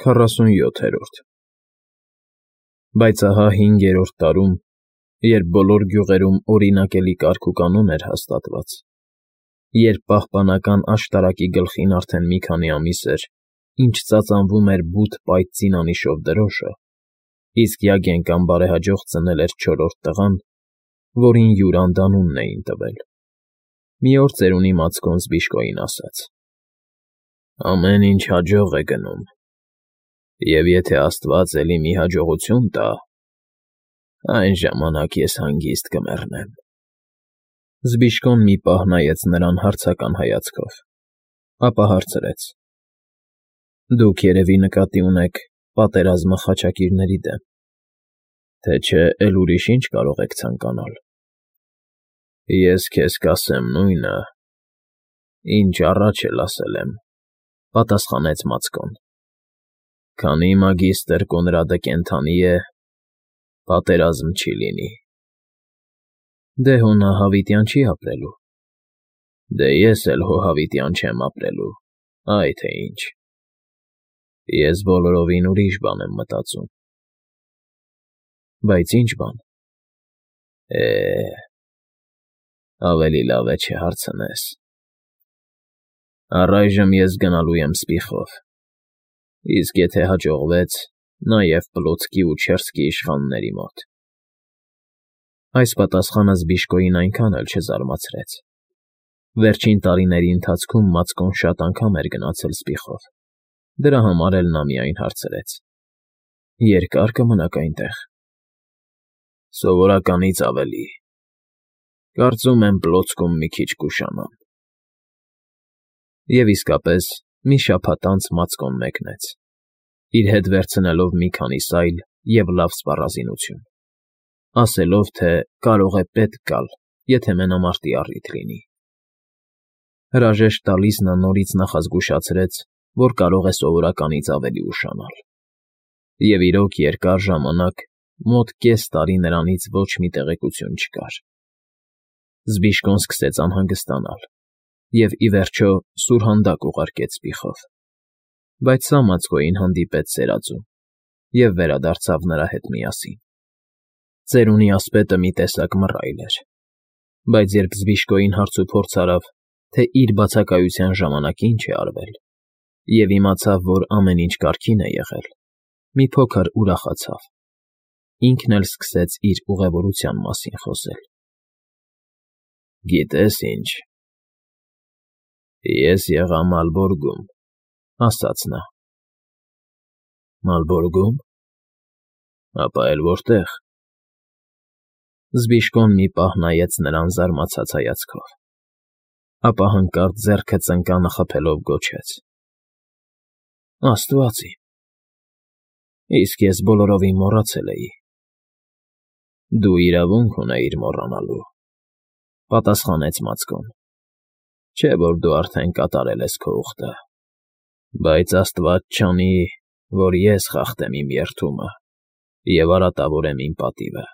47-րդ Բայց ահա 5-րդ տարում, երբ բոլոր գյուղերում օրինակելի կարգուկանոն էր հաստատված, երբ պահպանական աշտարակի գլխին արդեն մի քանի ամիս էր, ինչ ծածանվում էր բութ պայծ զինանիշով դրոշը, իսկ Յագենկան բարեհաջող ծնել էր 4-րդ տղան, որին Յուրանդ անունն էին տվել, մի օր ծերունի Մացկոն Զբիշկոյին ասաց. «Ամեն ինչ հաջող է գնում, և եթե Աստված էլի մի հաջողություն տա, այն ժամանակ ես հանգիստ կմեռնեմ»։ Զբիշկոն մի պահ նայեց նրան հարցական հայացքով, ապա հարցրեց. «Դուք երևի նկատի ունեք պատերազմը խաչակիրների դեմ, թե չէ էլ ուրիշ ինչ կարող եք ցանկանալ»։ «Ես քեզ կասեմ նույնը, ինչ առաջ էլ ասել եմ», պատասխանեց Մացկոն. «Քանի մագիստր Կոնրադը կենդանի է, պատերազմ չի լինի»։ «Դե հո նա հավիտյան չի ապրելու»։ «Դե ես էլ հո հավիտյան չեմ ապրելու, այ թե ինչ։ Ես բոլորովին ուրիշ բան եմ մտածում»։ «Բայց ի՞նչ բան»։ Ավելի լավ է չհարցնես։ Առայժմ ես գնալու եմ Սպիխով, իսկ եթե հաջողվեց, նաև Պլոցկի ու Չերսկի իշխանների մոտ»։ Այս պատասխանը Զբիշկոյին այնքան էլ չզարմացրեց։ Վերջին տարիների ընթացքում Մացկոն շատ անգամ էր գնացել Սպիխով, դրա համար էլ նա միայն հարցրեց. «Երկա՞ր կմնաք այնտեղ»։ «Սովորականից ավելի։ Կարծում եմ Պլոցկում մի քիչ կուշանամ»։ Եվ իսկապես, մի շաբաթ անց Մացկոն մեկնեց, իր հետ վերցնելով մի քանի սայլ և լավ սպառազինություն, ասելով, թե կարող է պետք գալ, եթե մենամարտի առիթ լինի։ Հրաժեշտ տալիս նա նորից նախազգուշացրեց, որ կարող է սովորականից ավելի ուշանալ։ Եվ իրոք երկար ժամանակ, մոտ կես տարի նրանից ոչ մի տեղեկություն չկար։ Զբիշկոն սկսեց անհանգստանալ և, ի վերջո, սուրհանդակ ուղարկեց Սպիխով։ Բայց սա Մացկոյին հանդիպեց սերածում և վերադարձավ նրա հետ միասին։ Ծերունի ասպետը մի տեսակ մռայլ էր, բայց երբ Զբիշկոյին հարցուփորձ արավ, թե իր բացակայության ժամանակ ինչ է արվել, և իմացավ, որ ամեն ինչ կարգին է եղել, մի փոքր ուրախացավ, ինքն էլ սկսեց իր ուղևորության մասին խոսել։ «Գիտես ինչ, ես եղա Մալբորգում», ասաց նա։ «Մալբորգո՞ւմ։ Ապա էլ որտե՞ղ»։ Զբիշկոն մի պահ նայեց նրան զարմացած հայացքով, ապա հանկարծ ձեռքը ծնկանը խփելով գոչեց. «Աստված իմ, իսկ ես բոլորովին մոռացել էի»։ «Դու իրավունք ունեիր մոռանալու», պատասխանեց Մացկոն, «չէ՞ որ դու արդեն կատարել ես քո ուխտը, բայց Աստված չանի, որ ես խախտեմ իմ երդումը և արատավորեմ իմ պատիվը։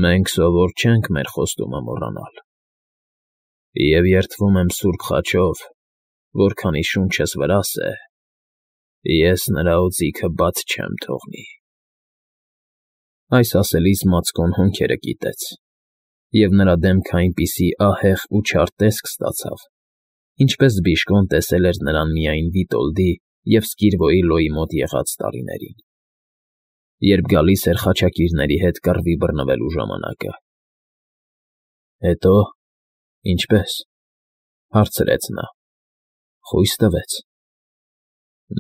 Մենք սովոր չենք մեր խոստումը մոռանալ։ Եվ երդվում եմ սուրբ խաչով, որ քանի շունչս վրաս է, ես նրա օձիքը բաց չեմ թողնի»։ Այս ասելիս Մացկոն հոնքերը կիտեց, և նրա դեմքը այնպիսի ահեղ ու չար տեսք ստացավ, ինչպես Զբիշկոն տեսել էր նրան միայն Վիտոլդի և Սկիրվոյի մոտ եղած տարիներին, երբ գալիս էր խաչակիրների հետ կռվի բռնվելու ժամանակը։ «Հետո ինչպե՞ս», հարցրեց նա։ «Խույս տվեց»։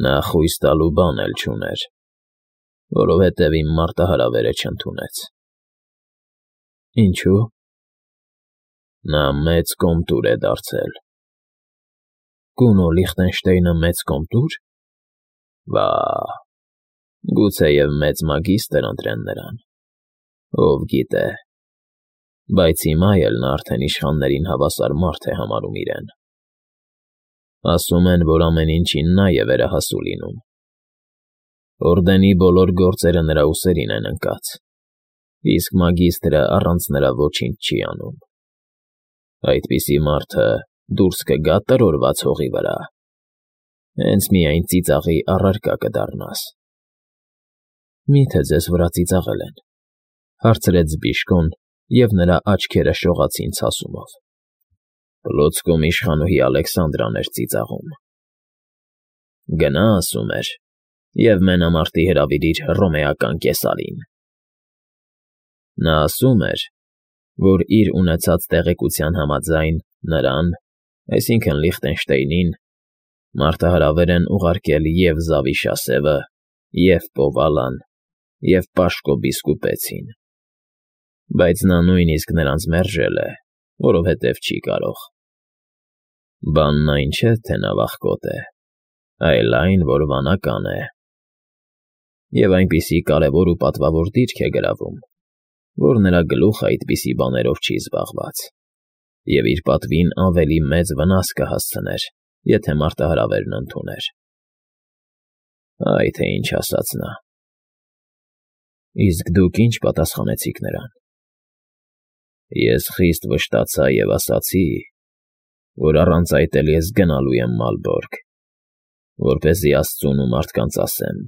«Նա խույս տալու բան էլ չուներ, որովհետև իմ մարտահրավերը չընդունեց»։ «Ինչո՞ւ»։ «Նա մեծ կոմտուր է դարձել»։ «Կունո Լիխտենշտեյնը մեծ կոմտո՞ւր»։ «Վա՜, գուցեև մեծ մագիստր ընտրեն նրան, ով գիտե, բայց հիմա էլ նա արդեն իշխաններին հավասար մարդ է համարում իրեն։ Ասում են, որ ամեն ինչին նա է վերահասու լինում։ Օրդենի բոլոր գործերը նրա ուսերին են ընկած, իսկ մագիստրը առանց նրա ոչինչ չի անում։ Այդպիսի մարդը դուրս կգա տրորված հողի վրա։ Հենց միայն ծիծաղի առարկա կդառնաս։ Մի՞թե ձեզ վրա ծիծաղել են, հարցրեց Բիժկոն, և նրա աչքերը շողացին ցասումով։ Պլոցկում իշխանուհի Ալեքսանդրան էր ծիծաղում։ Գնա, ասում էր, և մենամարտի հրավիրիր հռոմեական կեսարին։ Նա ասում էր, որ իր ունեցած տեղեկության համաձայն նրան, այսինքն Լիխտենշտեյնին, մարտահրավեր են ուղարկել և Զավիշասևը, և Պովալան, և Պաշկո Բիսկուպեցին, բայց նա նույնիսկ նրանց մերժել է, որովհետև չի կարող։ Բանն այն չէ, թե նա վախկոտ է, այլ այն, որ վանական է, և այնպիսի կարևոր ու պատվավոր դիրք է գրավում, որ նրա գլուխը այդպիսի բաներով չի զբաղված, և իր պատվին ավելի մեծ վնաս կհասցներ, եթե մարտահրավերն ընդուներ։ Այ թե ինչ ասաց նա։ Իսկ դուք ինչ պատասխանեցիք նրան։ Ես խիստ վշտացա և ասացի, որ առանց այդ էլ ես գնալու եմ Մալբորգ, որպեսզի աստծուն ու մարդկանց ասեմ.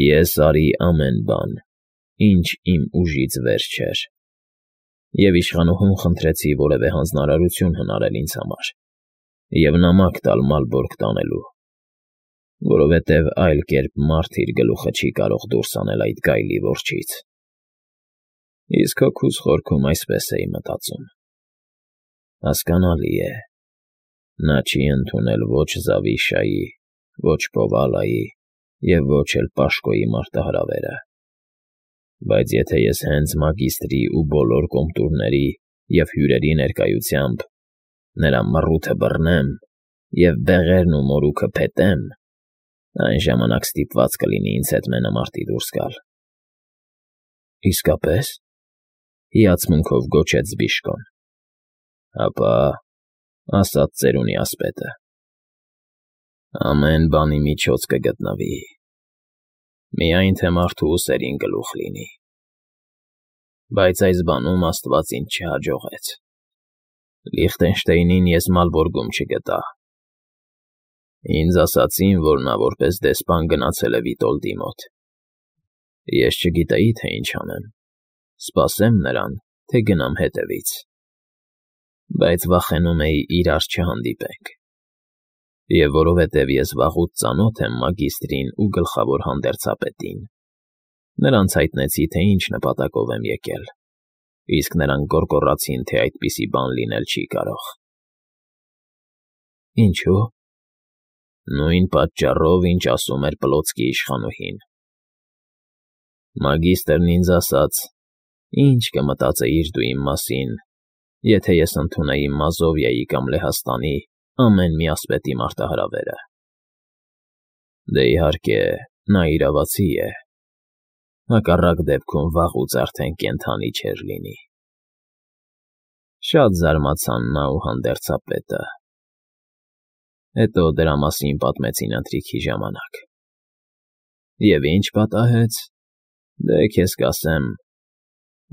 ես արի ամեն բան, ինչ իմ ուժից վեր չէր, և իշխանուհուն խնդրեցի որևէ հանձնարարություն հնարել ինձ համար և նամակ տալ Մալբորգ տանելու, որովհետև այլ կերպ մարդ իր գլուխը չի կարող դուրս հանել այդ գայլի որջից։ Իսկ հոգուս խորքում այսպես էի մտածում. հասկանալի է, նա չի ընդունել ոչ Զավիշայի, ոչ Պովալայի և ոչ էլ Պաշկոյի մարտահրավերը, բայց եթե ես հենց մագիստրի ու բոլոր կոմտուրների և հյուրերի ներկայությամբ նրա մռութը բռնեմ և բեղերն ու մորուքը փետեմ, այն ժամանակ ստիպված կլինի ինձ հետ մենամարտի դուրս գալ։ Իսկապես, հիացմունքով գոչեց Բիժկոն։ Հապա, ասաց ծերունի ասպետը, ամեն բանի միջոց կգտնվի, միայն թե մարդու ուսերին գլուխ լինի, բայց այս բանում աստված ինձ չհաջողեց։ Լիխտենշտեյնին ես Մալբորգում չգտա։ Ինձ ասացին, որ նա որպես դեսպան գնացել է Վիտոլդի մոտ։ Ես չգիտեի, թե ինչ անեմ, սպասեմ նրան, թե գնամ հետևից, բայց վախենում էի իրար չհանդիպենք, և որովհետև ես վաղուց ծանոթ եմ մագիստրին ու գլխավոր հանդերձապետին, նրանց հայտնեցի, թե ինչ նպատակով եմ եկել, իսկ նրանք գոռգոռացին, թե այդպիսի բան լինել չի կարող։ Ինչո՞ւ։ Նույն պատճառով, ինչ ասում էր Պլոցկի իշխանուհին։ Մագիստրն ինձ ասաց, ինչ կմտածեիր դու իմ մասին, եթե ես ընդունեի Մազովիայի կամ Լեհաստանի ամեն մի ասպետի մարտահրավերը։ Դե իհարկե, նա իրավացի է, հակառակ դեպքում վաղուց արդեն կենդանի չէր լինի։ Շատ զարմացան նա ու հանդերձապետը։ Հետո դրա մասին պատմեցին ընթրիքի ժամանակ։ Եվ ինչ պատահեց, դե քեզ կասեմ,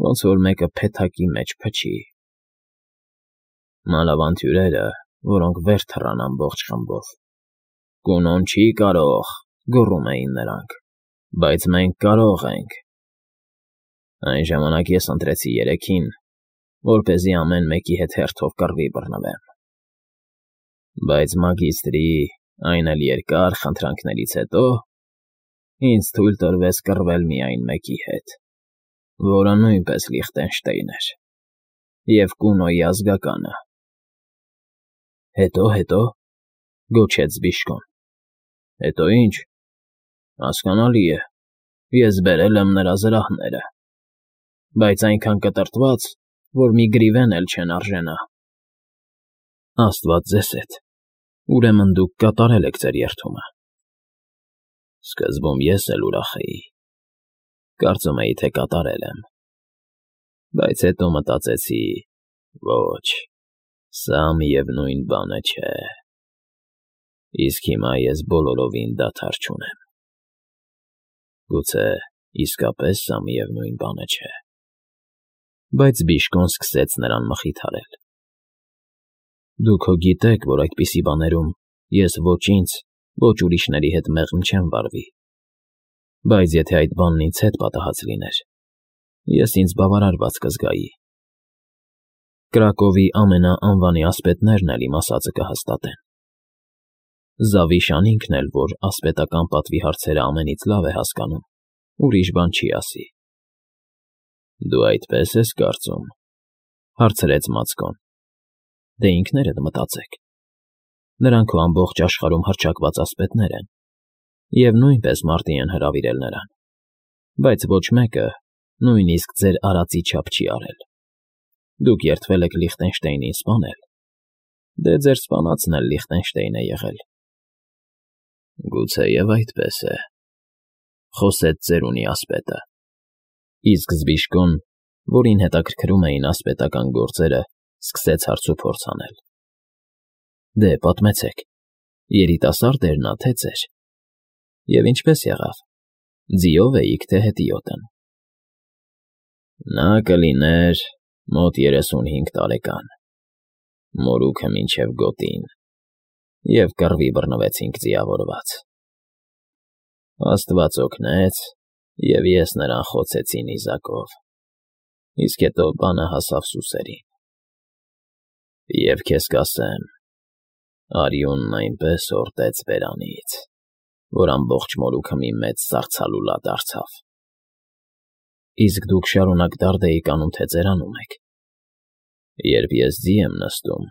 ոնց որ մեկը փեթակի մեջ փչի։ Մանավանդ հյուրերը, որոնք վեր թռան ամբողջ խմբով։ Կունոն չի կարող, գոռում էին նրանք, բայց մենք կարող ենք։ Այն ժամանակ ես ընտրեցի երեքին, որպեսզի ամեն մեկի հետ հերթով կռվի բռնվեմ։ Բայց մագիստրի, այն էլ երկար խնդրանքներից հետո, ինձ թույլ տրվեց կռվել միայն մեկի հետ, որը նույնպես Լիխտենշտեյն էր, և Կունոյի ազգականը։ Հետո, գոչեց Բիժկոն։ Հետո ինչ, հասկանալի է, ես բերել եմ նրա զրահները, բայց այնքան կտրտված, որ մի գրիվեն էլ չեն արժենա։ Աստված ձեզ հետ, ուրեմն դուք կատարել եք ձեր երդումը։ Սկզբում ես էլ ուրախ էի, կարծում էի, թե կատարել եմ, բայց հետո մտածեցի, ոչ, սա միևնույն բանը չէ, իսկ հիմա ես բոլորովին դադար չունեմ։ Գուցե իսկապես սա միևնույն բանը չէ։ Բայց Բիժկոն սկսեց նրան մխիթարել։ Դուք հո գիտեք, որ այդպիսի բաներում ես ոչ ինձ, ոչ ուրիշների հետ մեղմ չեմ վարվի։ Բայց եթե այդ բանն ինձ հետ պատահած լիներ, ես ինձ բավարարված կզգայի։ Կրակովի ամենաանվանի ասպետներն էլ իմ ասածը կհաստատեն։ Զավիշան ինքն էլ, որ ասպետական պատվի հարցերը ամենից լավ է հասկանում, ուրիշ բան չի ասի։ Դու այդպես ես կարծում, հարցրեց Մացկոն։ Դե ինքներդ մտածեք։ Նրանք քո ամբողջ աշխարհում հռչակված ասպետներ են, և նույնպես մարտի են հրավիրել նրան, բայց ոչ մեկը նույնիսկ ձեր արածի չափ չի արել։ Դուք երդվել եք Լիխտենշտեյնին սպանել, դե ձեր սպանածն էլ Լիխտենշտեյն է եղել։ Գուցեև այդպես է, խոսեց ծերունի ասպետը, իսկ Զբիշկոն, որին հետաքրքրում էին ասպետական գործերը, սկսեց հարցուփորձ անել։ Դե, պատմեցեք, երիտասարդ էր նա, թե ծեր։ Եվ ինչպես եղավ, ձիով էիք, թե հետիոտն։ Նա կլիներ մոտ 35 տարեկան, մորուքը մինչև գոտին, և կռվի բռնվեցինք ձիավորված։ Աստված օգնեց, և ես նրան խոցեցի նիզակով, իսկ հետո բանը հասավ սուսերին։ Եվ քեզ կասեմ, արյունն այնպես հորդեց բերանից, որ ամբողջ մորուքը մի մեծ սառցալուլա դարձավ։ Իսկ դուք շարունակ դարդ էիք անում, թե ծերանում եք։ Երբ ես ձի եմ նստում,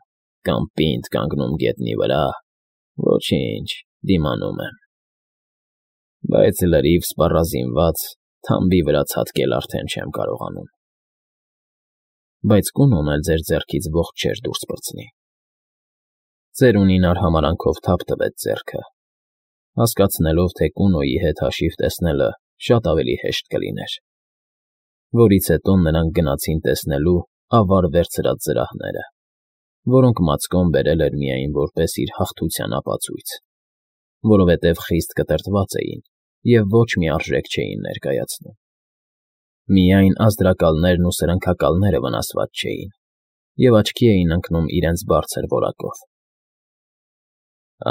կամ պինդ կանգնում գետնի վրա, ոչինչ, դիմանում եմ։ Բայց լրիվ սպառազինված, թամբի վրա ցատկել արդեն չեմ կարողանում։ Բայց Կունոն էլ ձեր ձեռքից ողջ չէր դուրս պրծնի։ Ծերունին արհամարանքով թափ տվեց ձեռքը, հասկացնելով, թե Կունոյի հետ հաշիվ տեսնելը շատ ավելի հեշտ կլիներ, որից հետո նրանք գնացին տեսնելու ավար վերցրած զրահները, որոնք Մացկոն բերել էր միայն որպես իր հաղթության ապացույց, որովհետև խիստ կտրտված էին և ոչ մի արժեք չէին ներկայացնում։ Միայն ազդրակալներն ու սրընքակալները վնասված չէին և աչքի էին ընկնում իրենց բարձր որակով։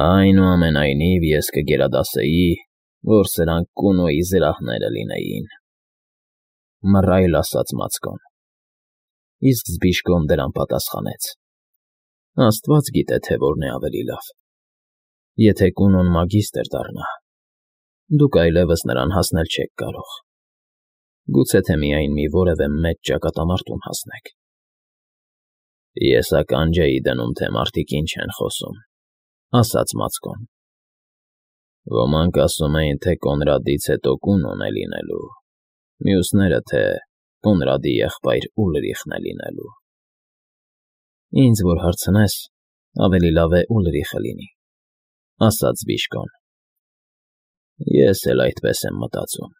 Այնուամենայնիվ ես կգերադասեի, որ սրանք Կունոյի զրահները լինեին, մռայլ ասաց Մացկոն, իսկ Զբիշկոն դրան պատասխանեց. Աստված գիտե, թե որն է ավելի լավ։ Եթե Կունոն մագիստր դառնա, դուք այլևս նրան հասնել չեք կարող, գուցե թե միայն մի որևէ մեծ ճակատամարտում հասնեք։ Ես ականջ էի դնում, թե մարդիկ ինչ են խոսում, ասաց Մացկոն։ Ոմանք ասում էին, թե Կոնրադից հետո Կունոն է լինելու, մյուսները, թե Կոնրադի եղբայր Ուլրիխն է լինելու։ Ինձ որ հարցնես, ավելի լավ է Ուլրիխը լինի, ասաց Զբիշկոն։ Ես էլ այդպես եմ մտածում։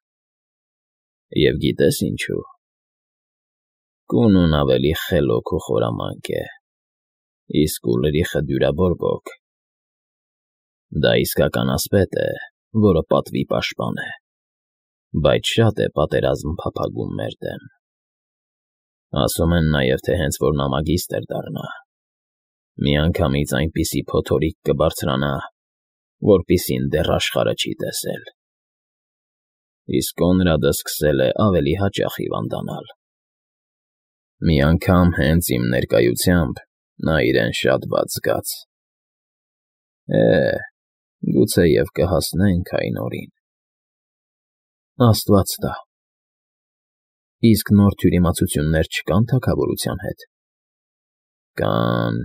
Եվ գիտես ինչու։ Կունոն ավելի խելոք ու խորամանկ է, իսկ Ուլրիխը դյուրաբորբոք։ Դա իսկական ասպետ է, որը պատվի պաշտպան է, բայց շատ է պատերազմ փափագում մեր դեմ։ Ասում են նաև, թե հենց որ նա մագիստր դառնա, միանգամից այնպիսի փոթորիկ կբարձրանա, որպիսին դեռ աշխարհը չի տեսել։ Իսկ Կոնրադը սկսել է ավելի հաճախ հիվանդանալ։ Մի անգամ հենց իմ ներկայությամբ նա իրեն շատ վատ զգաց։ Գուցեև կհասնենք այն օրին։ Աստված տա։ Իսկ նոր թյուրիմացություններ չկան թագավորության հետ։ Կան,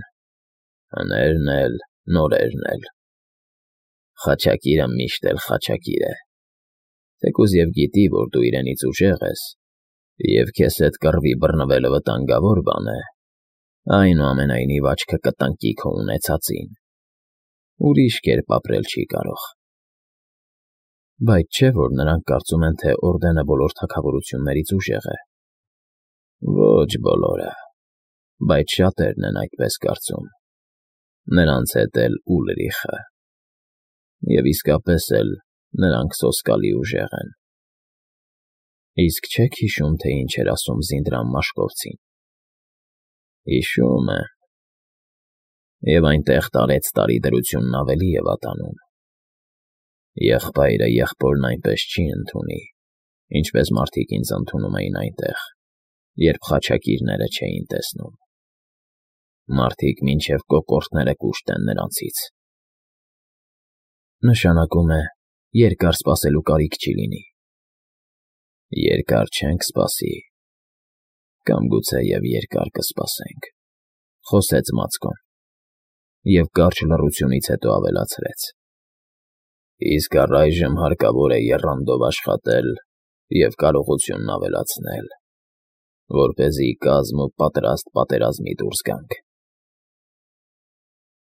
հներն էլ, նորերն էլ։ Խաչակիրը միշտ էլ խաչակիր է, թեկուզ և գիտի, որ դու իրենից ուժեղ ես, և քեզ հետ կռվի բռնվելը վտանգավոր բան է, այնուամենայնիվ աչքը կտնկի քո ունեցածին, ուրիշ կերպ ապրել չի կարող։ Բայց չէ՞ որ նրանք կարծում են, թե Օրդենը բոլոր թագավորություններից ուժեղ է։ Ոչ բոլորը, բայց շատերն են այդպես կարծում, նրանց հետ էլ Ուլրիխը, և իսկապես էլ նրանք սոսկալի ուժեղ են։ Իսկ չեք հիշում, թե ինչ էր ասում Զինդրան Մաշկովցին։ Հիշում եմ։ Եվ այնտեղ տարեց տարի դրությունն ավելի է վատանում։ Եղբայրը եղբորն այնպես չի ընդունի, ինչպես մարդիկ ինձ ընդունում էին այնտեղ, երբ խաչակիրները չէին տեսնում։ Մարդիկ մինչև կոկորդները կուշտ են նրանցից։ Նշանակում է, երկար սպասելու կարիք չի լինի։ Երկար չենք սպասի, կամ գուցեև երկար կսպասենք, խոսեց Մացկոն և կարճ լռությունից հետո ավելացրեց. Իսկ առայժմ հարկավոր է եռանդով աշխատել և կարողությունն ավելացնել, որպեսզի կազմ ու պատրաստ պատերազմի դուրս գանք։